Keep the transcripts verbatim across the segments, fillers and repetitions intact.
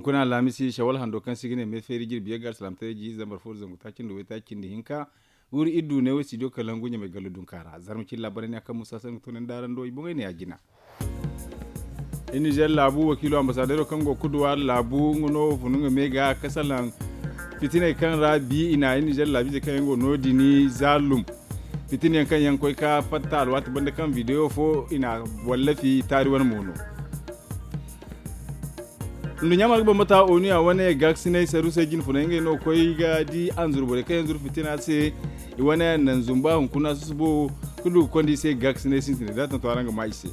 Kuna alhamisi shawal hando kaŋ se i ga ne me feeri jirbi yagga alsalaamtaray ji zambar fo da zangu taaci nda waytaaci nda hinka. Wuri iddu ne wo studio kalangu ɲamay gallu dunka ra zarma cine laabaray ne a kaŋ musa sangu tunandi araŋ do i boŋey ne ya jina. Iri nizer laabu wakiilo ambasadero kaŋ go kuduwa laabu nga no funu nga me ga ka salaŋ fitiney kaŋ ra bi i na iri nizer laabiizey kaŋ yaŋ go no- din zaalum fitina yaŋ kaŋ yaŋ koy ka fatta alwaati banda kaŋ bideyo fo i na wallafi taari wane mo no. Nduɲɲa marga bambata onu ya wane gaakasinay saru se jine funay ngey no koy ga di anzuru borey kaŋ yaŋ zuru fitina se. I wane naŋ zumba hunkuna susubo ka du ga konda i se gaakasinay sintinay da tanto araŋ ga ma i se.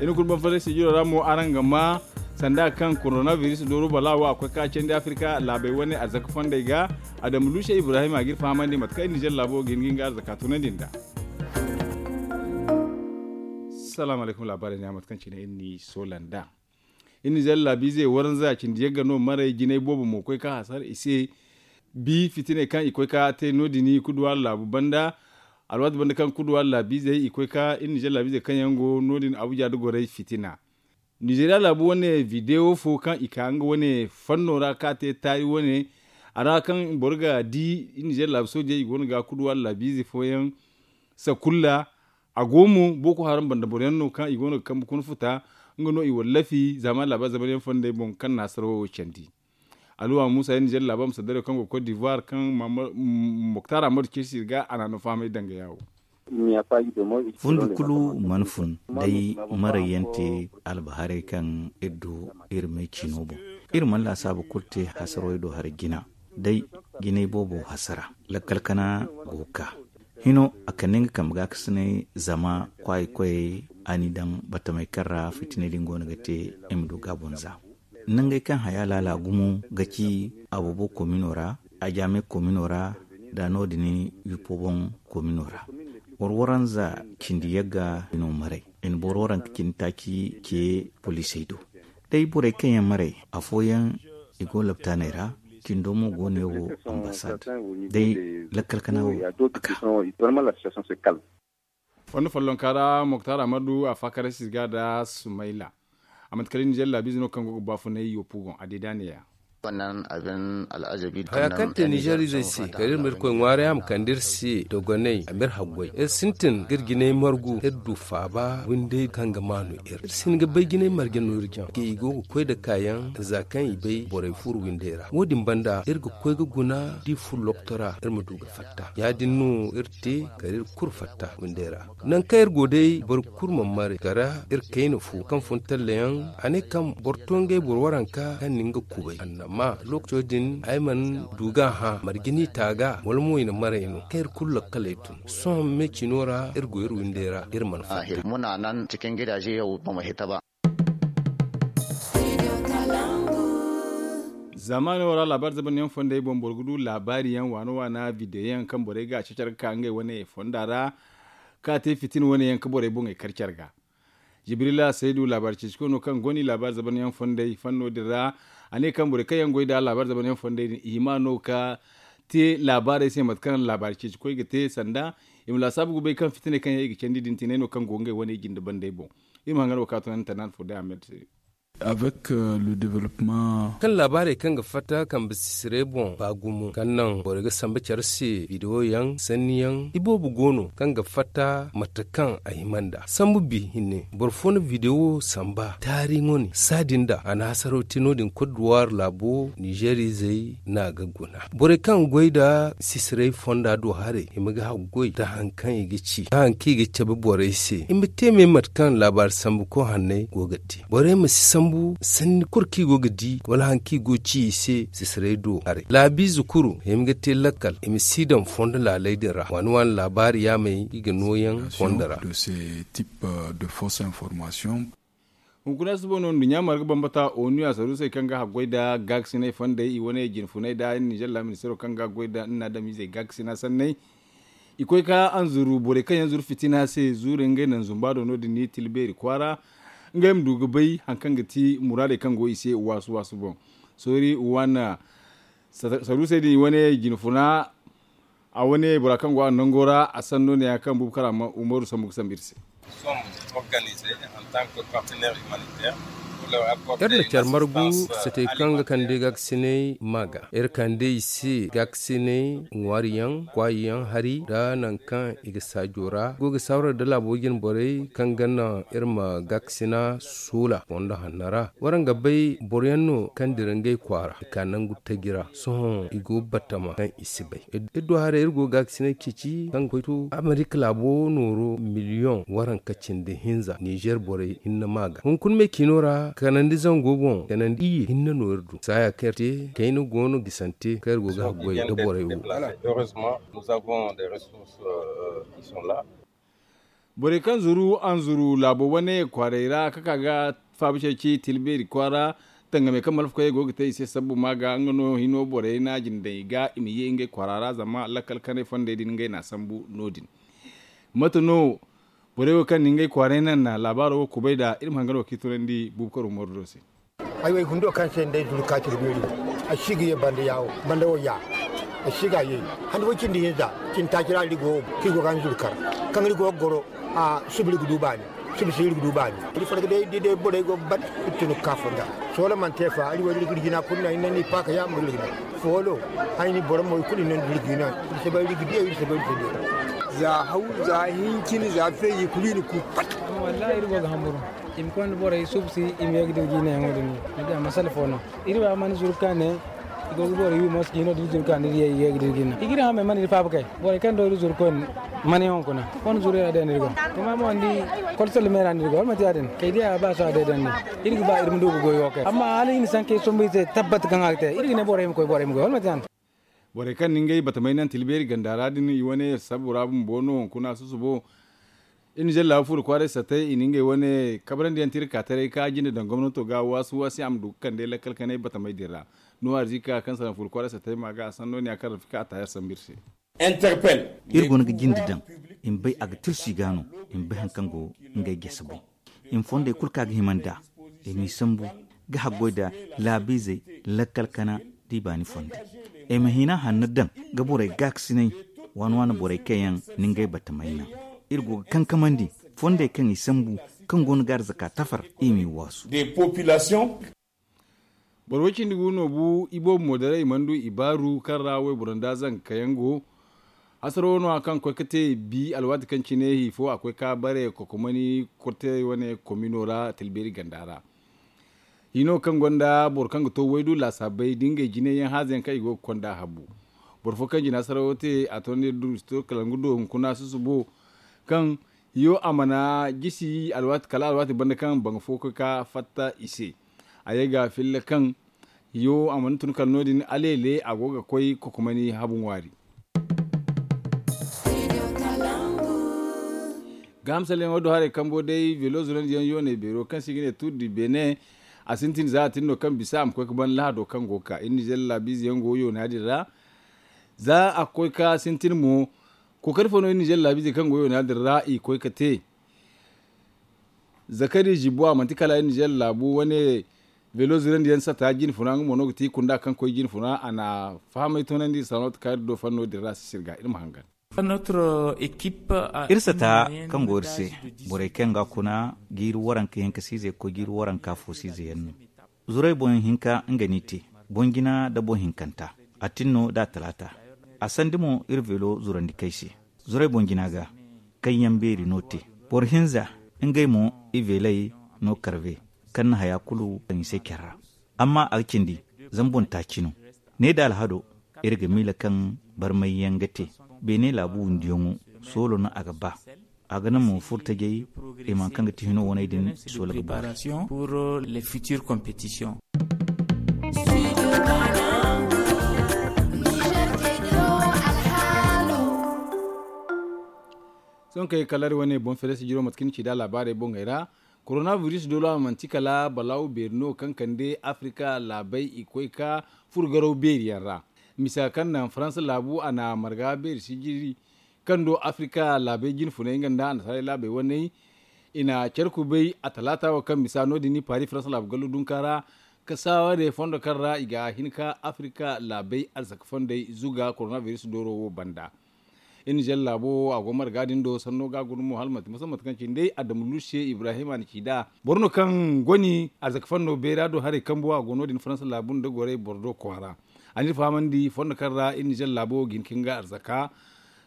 Iri kulu banfaray sijiro ra mo araŋ ga ma sanda kaŋ koronabiris dooro bala wo a koy ka candi afirka laabey wane arzaka fondey ga. Adamu luusa ibrahim a ga iri fahamandi mate kaŋ iri nizer laabo ga hin ga nga arzaka tunandi nd'a. Salaamu alaykum laabaarey ne a mate kaŋ cine iri n'i soola nd'a. Iri nizer laabiizey waranza cindi yagga no maray jinay boobo mo koy ka hasara i se. Bi fitiney kaŋ i koy ka te no- din kuduwa laabu banda. Alwaati banda kaŋ kuduwa laabiizey i koy ka iri nizer laabiizey kaŋ yaŋ go no- din abuja da goray fitina. Nizeriya laabu wane videwo fo kaŋ i ka nga wane fanno ra ka te taari wane a ra kaŋ boro ga di iri nizer laabu soojey i go no ga kuduwa laabiize fooyaŋ. Sakulla a go mo boko haram banda boro yaŋ no kaŋ i go no ga kambe kuna futa. Nga no i wallafi zama laabaari zamanyaŋ fondey boŋ kaŋ na hasara wo candi. Aluwa musa iri nizer laabaari ma saddaray kaŋ go ga koy divoir kaŋ moktar amadu ceesi ga a na no fahamay danga yaawo. Fundi kulu mana fun day maray yaŋ te albaharay kaŋ iri du iri me ciino boŋ. Iri mana laasaabu kulu te hasarwey do hari jina day jinay boobo hasara. Lakkal kana go ga ka hino a kande nga kambe ga kasinay zama kwaayi koyey a n'i daŋ batamey kaŋ ra fitiney din go no ga te. I ma du ga a boŋ za nangey kaŋ haya laala gumo ga ci aboobo komino ra, ajaame komino ra, da no- din yuppo boŋ komino ra. Warwaranza cindi yagga i no maray i na boro waranka cindi taaci ce poliisey do. Day borey kaŋ yaŋ maray afooyaŋ i go laptaaney ra. Cindo mo go ne wo ambasad day lakkal kana wo a ka. Fondo follonka ra moktar amadu a faakarasis ga da sumayla. A manti kala nizer laabiize no kaŋ go ga baafunay yoppu boŋ a deeda neeya. Haya kaŋ te nizerizey se kala iri ma irkoy ŋwaarey a ma kande iri se dogoney a ma iri haggoy iri sintin ga iri jinay margu iri du faaba windey kaŋ ga maanu iri iri si hin ga bay jinay marje no iri jaŋ ga i go ga koy nda kaayaŋ za kaŋ i bay borey furu windey ra wo- din banda iri ga koy ga guna da i furu lokto ra iri ma du ga fatta ya- din no iri te kala iri kulu fatta windey ra. Nangu kaŋ iri go day boro kulu mana maray kala iri kayna fo kaŋ fun tallayaŋ a ne kaŋ boro to ngey boro waranka kaŋ na nga kubay annama lokaco din ay mana du ga a hã marje no i te a ga wala mo i na maray no kaŋ iri kulu lakkaley tun sohõ me cino ra iri go iri windey ra iri mana fatta. Muna nan cikin gidaje yau ba mu hita ba. Zaamaano ra laabaari zabanyaŋ fondey boŋ boro ga du laabaari yaŋ waana waana bideyo yaŋ kaŋ borey ga a cacar ga ka ngey wane fonda ra ka te fitina wane yaŋ ka borey boŋey kar care ga. Jibrila saydu laabaari ceecikoy no kaŋ go no i laabaari zabanyaŋ fondey fanno din ra. A ne kaŋ borey kaŋ yaŋ goy nd'a laabaari zabanyaŋ fondey din i hima no ka te laabaarey se mate kaŋ laabaari ceecikoy ga te sanda i ma laasaabu ga bay kaŋ fitiney kaŋ yaŋ i ga candi din tinay no kaŋ go ngey wane jinde bandey boŋ. Iri ma hangan wo ka tunandi tanaan fo day a mette. Avec le développement kaŋ laabaarey kaŋ ga fatta kambe sisirey boŋ ba gumo kaŋ naŋ borey ga samba care se bidewo yaŋ sanni yaŋ iboobo go no kaŋ ga fatta mate kaŋ a hima nd'a sambu bi hinne boro fo na bidewo samba taari ŋwa ne saadin da a na hasaro te no- din kodduwaari laabo nizerizey no a ga guna borey kaŋ goy nda sisirey fonda do haray i ma ga haggoy nda hari kaŋ i ga ci nda hari kaŋ i ga cabe borey se i ma te me mate kaŋ laabaari sambu koy hanney go ga te borey ma si sambu sanni kulu kaŋ i go ga di wala hari kaŋ i go ga ci i se sisirey do haray laabiize kulu i ma ga te lakkal i ma si daŋ fondo laaley din ra waani waani laabaari yaamey i ga nooyaŋ fondo ra. Hunkuna suba no nduɲɲa marga bambata onu a saruusey kaŋ ga haggoy nda gaakasinay fondey i wane jinfunay nda nizer laaministeero kaŋ ga goy nda nna adamizey gaakasina sanney. I koy ka anzuru borey kaŋ yaŋ zuru fitina se zuure ngey naŋ zumba do no- din ni tilbeeri kwaara ngey ma du ga bay hari kaŋ ga ti muraadey kaŋ go i se waasu waasu boŋ. Soori waana saruusey din i wane jinfuna a wane bora kaŋ go a nango ra a sanno ne ya kaŋ buubu kara umaru sambu ga sambu iri se. Organize en tant que partenaire humanitaire pour Iri na care margu satey kaŋ ga kande gaakasinay ma ga iri kande i se gaakasinay ŋwaari yaŋ kwaayi yaŋ hari nda nangu kaŋ i ga saajo ra i go ga saawara nda laabo jine borey kaŋ ga naŋ iri ma gaakasina soola fondo hanno ra. Waraŋ ga bay boro yaŋ no kaŋ dira ngey kwaara i ka nangu taji ra sohõ i go batama kaŋ i si bay. Iri du haray iri go ga gaakasinay ceeci kaŋ ga koy to amerika laabo nooro miliyoŋ waranka cindi hinza nizer borey hinne ma ga hunkuna me ciino ra kanandi zango boŋ kanandi iyye hinne no iri du saaya kaŋ iri te kayna go no gisante kaŋ iri go ga haggoy nda borey wo. Borey kaŋ zuru anzuru laabo wane kwaarey ra ka ka ga faabu ceeci tilbeeri kwaara tangame kaŋ malfakoyey go ga te i se sabbu ma ga nga no hino borey na jine daŋ i ga i ma ye ngey kwaara ra zama lakkal kanay fondey din ngey na a sambu no- din. Mate no borey wo kaŋ na ngey kwaaray naŋ na laabaaro wo kubay nd'a iri ma hangan wo kaŋ i tunandi buubu karo mooro do se. Ay wo ay hundo kaŋ se nda ay zuru ka cire beeri, ay si ga ye banda yaawo banda wo ya. Ay si ga ye hande fo cindi hinza cindi taaci ra iri go kaŋ iri go ga hanzuru kar kaŋ iri go ga goro. A suba iri ga du baani. Suba si iri ga du baani. Iri farga day da day borey go ga ban iri tun ga ka fonda. Soola mana te fa iri wo iri ga iri jina kulu naŋ iri naŋ no i paaka yaamo iri ga naŋ foolo. Ay ni boro mo i kulu i naŋ da iri jina iri si bay iri ga diya iri si bay iri si diya. Za haw za hincin za feeji kulu i na ku pat. Wallahi iri go ga hamburu. I ma konda borey suubu si i ma ye ga dira jiinayaŋo din no ni di a masala fo no. Iri ba mana zuru ka ne i go ga borey wi mo si jiino da iri zuru ka ne iri ye ga dira jiina i ga iri hamey mana iri faaba kay. Borey kaŋ do iri zuru koyne mana yaŋ hunkuna fo na zuru iri a day no iri go. Kuma mo ni di kolsal me ra no iri go wala manti ya- din kay diya ba so a day day no iri ga ba iri ma du ga goy wo kay amma hala i na sankey sombu i se tabbat kaŋ a ga te iri ga ne borey ma koy borey ma goy wala manti ya- din. Borey kaŋ na ngey batamey naŋ tilbeeri ganda ra din i wane sabbu ra bumbo no hunkuna susubo. Iri na zallaabu furo kwaaray sattey i na ngey wane kabrandi yaŋ te iri ka taray ka jinde daŋ gomnato ga waasu waasi a ma du ga kande lakkal kanay batamey din ra. Nuwa arzika kaŋ salaŋ furo kwaaray sattey ma ga a sanno ne ya kaŋ rafika a taayar sambu iri se. Iri go no ga jinde daŋ i ma bay a ga tirsu i ga no i ma bay hari kaŋ go ngey jese boŋ. I ma fondey kulu kaŋ a ga hima nd'a i m'i sambu ga haggoy nda laabiizey lakkal kana da i baani fondey. I ma hina hanno daŋ ga borey gaakasinay waani waani borey kaŋ yaŋ na ngey batamey naŋ. Iri go ga kankamandi fondey kaŋ i sambu kaŋ go no ga arzaka tafar i m'i waasu. Boro way cindi gu no bu iboobo mo daray i mana du i baaru kaŋ ra wayboro nda zanka yaŋ go. Hasaro no a kaŋ koy ga te bi alwaati kaŋ cine hi fo a koy ga bare kokomani korte wane komino ra tilbeeri ganda ra. Hino kaŋ gonda boro kaŋ ga to waydu laasaabey da ngey jine yaŋ haaza yaŋ kaŋ i go ga konda habu. Boro fo kaŋ jina sarawo te a to ne du to kala nga do hunkuna susubo kaŋ yo a mana jisi alwaati kala alwaati banda kaŋ banga fo ga ka fatta i se. A ye ga filla kaŋ yo a mana tun kala no- din aleele a go ga koy kokomani habu ŋwaari. Ga hamsalyaŋo do haray kambo day velo zurandi yaŋ yoonay beero kaŋ se i ga ne tuuri di beene. A sintin za a tin no kaŋ bisa a ma koy ga ban lahado kaŋ go ga ka iri nizer laabiize yaŋ go yoona din ra. Za a ga koy ga sintin mo kookari fo no iri nizer laabiize kaŋ go yoona din ra i ga koy ga te. Zakari zibo a manti kala iri nizer laabu wane velo zurandi yaŋ sata jine funa nga mo no ga ti kunda kaŋ koy jine funa a na fahamay toonandi iri sano ta kaari do fanno din ra sisir ga iri ma hangan. Iri sata kaŋ go iri se borey kaŋ ga kuna jiiri waranka hinka siizey ga koy jiiri waranka fo siizey yaŋ no. Zuray boŋ hinka nga n'i te boŋ jina nda boŋ hinkanta a tin no da a talaata. A sandi mo iri velo zurandi kay se zuray boŋ jina ga kaŋ yaŋ beeri no te. Boro hinza ngey mo i veley no karbe kaŋ na haya kulu kaŋ i se care ra. Amma a ga cindi zama boŋ taaci no. Ne da alhado iri ga miila kaŋ barmay yaŋ ga te beene laabu wundiyaŋo soolo no a ga ba. A ga naŋ mo furtajey i ma kaŋ ga ti hino waney din i soola ga boori. Sohõ kay kala iri wane boŋ feere sijiro mate kaŋ ni ci nd'a laabaarey boŋey ra. Korona biris doolo a manti kala balaaw beeri no kaŋ kande afirika laabey i koy ka furo garaw beeri yaŋ ra. Misa kaŋ naŋ faransa laabu a na marga beeri sijiri kaŋ do afirika laabey jine funay nga nda annasaarey laabey waney. I na care kubay a talaata wo kaŋ misa no- din ni paari faransa laabu gallo dunka ra ka saaware fondo kaŋ ra i ga hin ka afirika laabey arzaka fondey zuga korona biris dooro wo banda. Iri nizer laabo wo a go marga din do sanno ga guna mo hala manti musamman mate kaŋ cine day adama lusiye ibrahima na ci nd'a boro no kaŋ goni arzaka fanno beera do haray kambu a go no- din faransa laabu nda gorey boro do kwaara. A n'iri fahamandi fondo kaŋ ra iri nizer laabo wo ga hin ka hin ga arzaka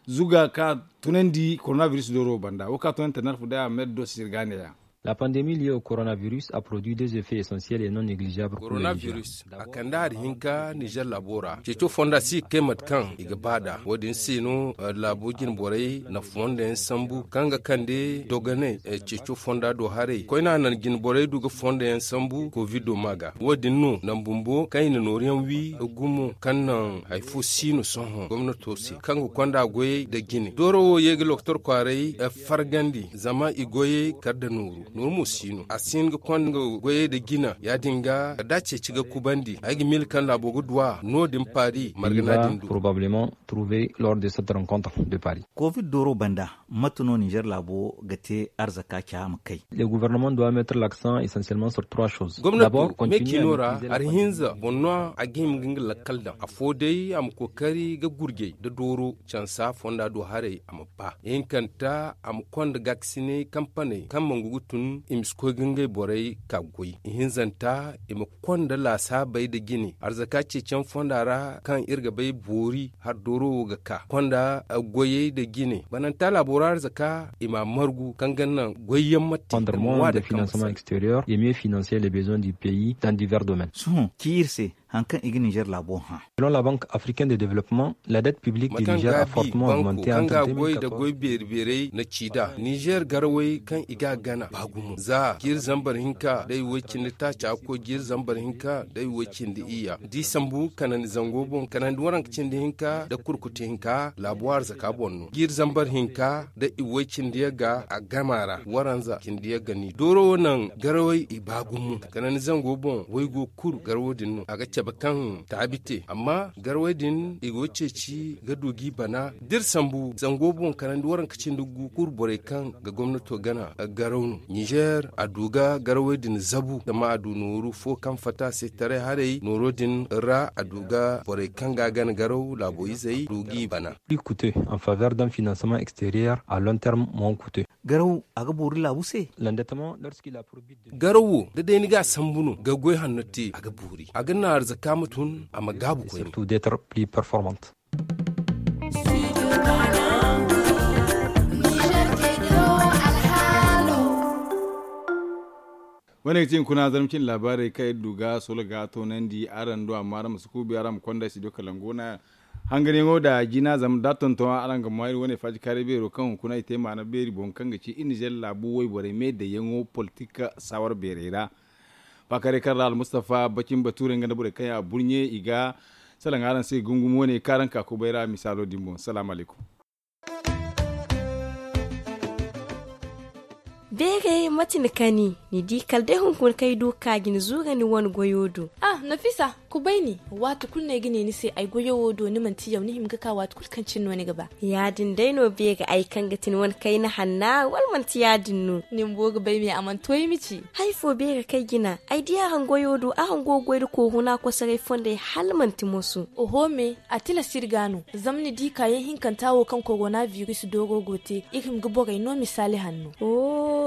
zuga ka tunandi korona biris dooro banda wo kaŋ a tunandi tanarfu day a ma iri do sirga neeya. La pandemi liye au korona biris a produit des effets essentiels et non negligeables korona biris a kande hari hinka nizer laabo ra ceeco fonda si ga kay mate kaŋ i ga ba nd'a wo- din se no laabo jine borey na fonda yaŋ sambu kaŋ ga kande dogonay ceeco fonda do haray koyne a naŋ jine borey du ga fonda yaŋ sambu kovido ma ga wo- din no naŋ bumbo kaŋ i na nooru yaŋ wi gumo kaŋ naŋ hari fo si no sohõ gomnato se kaŋ ga konda goyey nda jine dooro wo ye ga lokotor kwaaray fargandi zama i goyey kar nda nooru nooru mo si no a si hin ga konda goyey nda jina ya- din ga kala da ceeci ga kubandi ay ga miila kaŋ laabo ga du a no- din paari margana din du. Probablement trouver lors de cette rencontre de paris. Covid dooro banda mate no nizer laabo ga te arzaka ca ma kay? Le gouvernement doit mettre l'accent essentiellement sur trois choses. Gomnato me ciino ra hari hinza boŋ no a ga hima ga nga lakkal daŋ afo day a ma kookari ga gurjey nda dooro cansa fonda do haray a ma ba ihinkanta a ma konda gaakasinay kampaney kaŋ mangu ga tun i ma si koy ga ngey borey ka goy ihinzanta i ma konda laasaabey nda jine arzaka ceeciyaŋ fonda ra kaŋ iri ga bay boori hari dooro wo ga ka konda goyey nda jine bananta laabo ra arzaka i ma a margu kaŋ ga naŋ goyyaŋ ma te da ma waada kaŋ ma sara. Extérieur et mieux financer les besoins du pays dans divers domaines. Sohõ ci iri se hari kaŋ i ga nizer laabo hã. Selon la banque africaine de développement la dette publique du nizer a fortement augmenté entre deux mille quatorze. Kaŋ ga a goy nda goy beeri beerey na ci nd'a nizer garawey kaŋ i ga a gana ba gumo za jiiri zambar hinka nda i way cindi taaca ga koy jiiri zambar hinka nda i way cindi iyya da i sambu kanandi zango boŋ kanandi waranka cindi hinka nda kurkutu hinka laabo arzaka boŋ no jiiri zambar hinka nda i way cindi yagga a gama ra waranza cindi yagga ni dooro wo naŋ garawey i ba gumo kanandi zango boŋ waygo kulu garawo din no a ga cabe kaŋ taabi te amma garawey din i go ceeci ga du g'i bana da iri sambu zango boŋ kanandi waranka cindi gu kulu borey kaŋ ga gomnato gana garaw no nizer a du ga garawey din zabu zama a du nooru fo kaŋ fatta se taray haray nooro din ra a du ga borey kaŋ ga a gana garaw laabo izey du g'i bana. Plus coûteux en faveur d'un financement extérieur à long terme moins coûteux. Garaw a ga boori laabu se. L'endettement lorsqu'il a pour but de garaw wo da day ni ga a sambu no ga goy hanno te a ga boori a ga naŋ arzaka ma tun a ma gaabu koyne. Surtout d'être plus performante. Wane ga ti hunkuna zarma cine laabaarey kaŋ iri du ga solo ga toonandi araŋ do amma araŋ ma si kuubi araŋ ma konda studio kalangu wane hangariyaŋo nda jina zama da a tonton araŋ ga ma iri wane faajikaaray beero kaŋ hunkuna i te maana beeri boŋ kaŋ ga ci iri nizer laabu wayborey me dayyaŋo politik saawara beerey ra. Faakaaray kaŋ ra almustafa bacin bature nga nda borey kaŋ yaŋ a burɲe i ga salaŋ araŋ se gungum wane kaŋ araŋ ka kubay ra misaalo din boŋ salaamu alaykum. Beere mate ni kani ni di kala day hunkuna kaŋ ay du ga ka jine zuura ni wane goyo do. Ah nafisa, kubay ni. Waati kulu no ay ga ne ni se ay goyo wo do ni manti yaw ni hima ga ka waati kulu kaŋ cine no ni ga ba. Ya- din day no beere ay kaŋ ga ti ni wane kayna hanna wala manti ya- din no? Ni bumbo ga bay me a mana to ay ma ci. Hari fo beere kaŋ ay jina ay di araŋ goyo do araŋ go ga goy nda kooruna kosoray fondey hala manti moso. Oho me, a tilas iri ga no zama ni di kaayaŋ hinkanta wo kaŋ korona biris dooro go te iri hima ga borey no misaali hanno.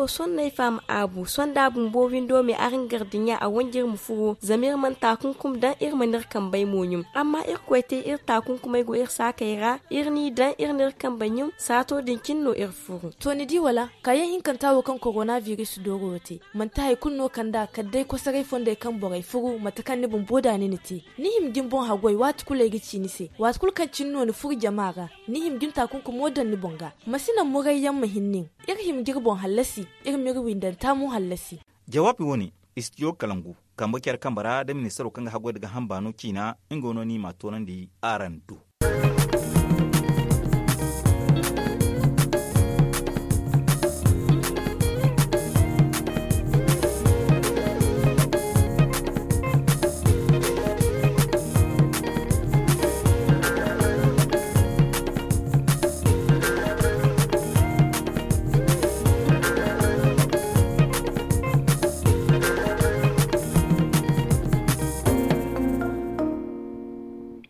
Sohõ no ay faham aabu sohõ da a bumbo windo me araŋ gardiɲa a wanji iri ma furo zama iri mana taakunkum daŋ iri mana iri kambey mo ɲum amma irkoy te iri taakunkumey go iri saakey ra iri n'i daŋ iri n'iri kambey ɲum saato din cine no iri furu. To ni di wala? Kaayaŋ hinkanta wo kaŋ korona biris dooro wo te manti hari kulu no kand'a kala day kosoray fondey kaŋ borey furu mate kaŋ ni bumbo da ni na te. Ni hima ga ni boŋ haggoy waati kulu ay ga ci ni se waati kulu kaŋ cine no ni furu jama ra. Ni hima ga ni taakunkumo daŋ ni boŋ ga. Ma si naŋ murayyaŋ ma hin nin. Iri hima ga iri boŋ hallasi. Iri m'iri windanta mo hallasi. Jawaabi wo-ne, istidiyo kalangu kambe care kambe ra nda ministaro kaŋ ga haggoy nda gaaham baano ciina nga no no i m'a toonandi araŋ do.